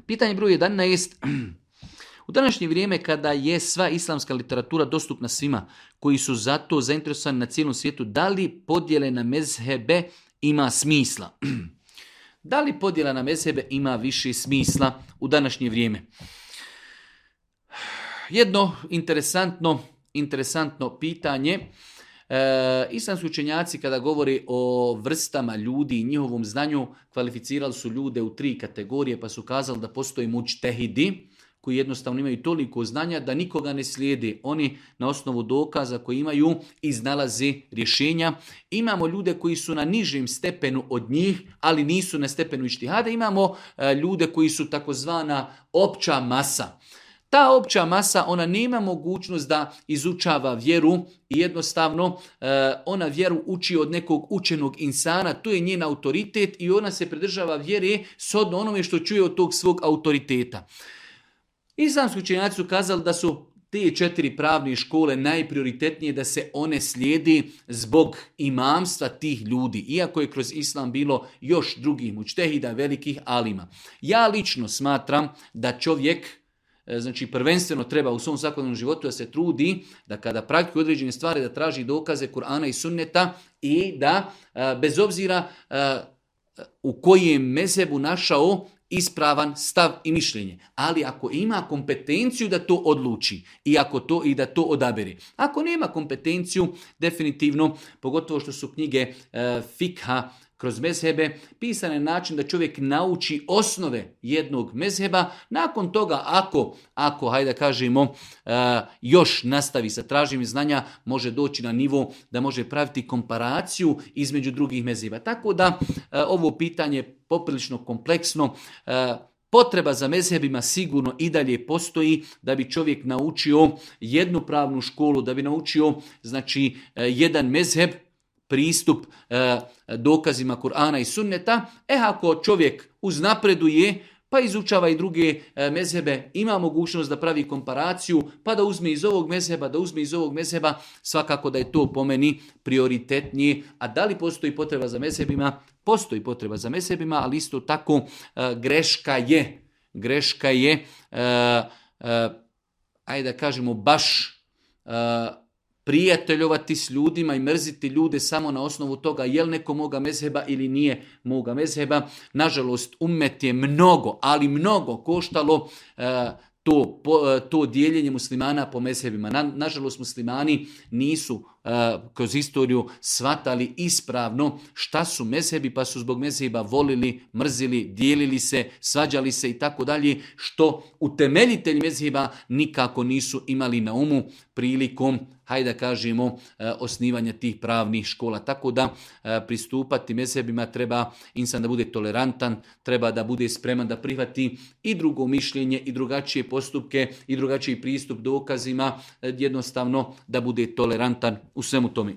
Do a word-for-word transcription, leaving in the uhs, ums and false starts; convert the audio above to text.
Pitanje broj jedanaest. U današnje vrijeme kada je sva islamska literatura dostupna svima koji su zato zainteresovani na cijelom svijetu, da li podjele na mezhebe ima smisla? Da li podjela na mezhebe ima više smisla u današnje vrijeme? Jedno interesantno, interesantno pitanje. E, islamski učenjaci kada govori o vrstama ljudi i njihovom znanju kvalificirali su ljude u tri kategorije, pa su kazali da postoji mučtehidi koji jednostavno imaju toliko znanja da nikoga ne slijede. Oni na osnovu dokaza koji imaju iznalaze rješenja. Imamo ljude koji su na nižem stepenu od njih, ali nisu na stepenu ištihada. Imamo e, ljude koji su takozvana opća masa. Ta opća masa, ona nema mogućnost da izučava vjeru i jednostavno e, ona vjeru uči od nekog učenog insana, to je njen autoritet i ona se pridržava vjere shodno onome što čuje od tog svog autoriteta. Islamski učenjaci su kazali da su te četiri pravne škole najprioritetnije da se one slijedi zbog imamstva tih ljudi, iako je kroz islam bilo još drugih mučtehida, velikih alima. Ja lično smatram da čovjek, znači prvenstveno treba u svom svakodnevnom životu da se trudi da kada praktikuje određene stvari da traži dokaze Kur'ana i sunneta i da bez obzira u kojem mezhebu našao ispravan stav i mišljenje. Ali ako ima kompetenciju da to odluči i ako to i da to odabere. Ako nema kompetenciju, definitivno, pogotovo što su knjige e, fikha kroz mezhebe pisane na način da čovjek nauči osnove jednog mezheba, nakon toga ako, ako hajde da kažemo, e, još nastavi sa traženjem znanja, može doći na nivo da može praviti komparaciju između drugih mezheba. Tako da e, ovo pitanje poprilično kompleksno. E, potreba za mezhebima sigurno i dalje postoji da bi čovjek naučio jednu pravnu školu, da bi naučio znači e, jedan mezheb, pristup e, dokazima Kur'ana i sunneta. E ako čovjek uznapreduje pa izučava i druge e, mezhebe, ima mogućnost da pravi komparaciju, pa da uzme iz ovog mezheba, da uzme iz ovog mezheba, svakako da je to po meni prioritetnije. A da li postoji potreba za mezhebima? Postoji potreba za mezhebima, ali isto tako e, greška je, greška je, e, e, ajde da kažemo baš e, prijateljovati s ljudima i mrziti ljude samo na osnovu toga je li neko moga mezheba ili nije moga mezheba. Nažalost, ummet je mnogo, ali mnogo koštalo e, to, po, to dijeljenje muslimana po mezhebima. Na, nažalost, muslimani nisu uh, kroz historiju shvatali ispravno šta su mezhebi, pa su zbog mezheba volili, mrzili, dijelili se, svađali se i tako dalje, što utemeljitelji mezheba nikako nisu imali na umu prilikom, hajde da kažemo, uh, osnivanja tih pravnih škola. Tako da uh, pristupati mezhebima treba insan da bude tolerantan, treba da bude spreman da prihvati i drugo mišljenje i drugačije postupke i drugačiji pristup dokazima, jednostavno da bude tolerantan u svemu tome.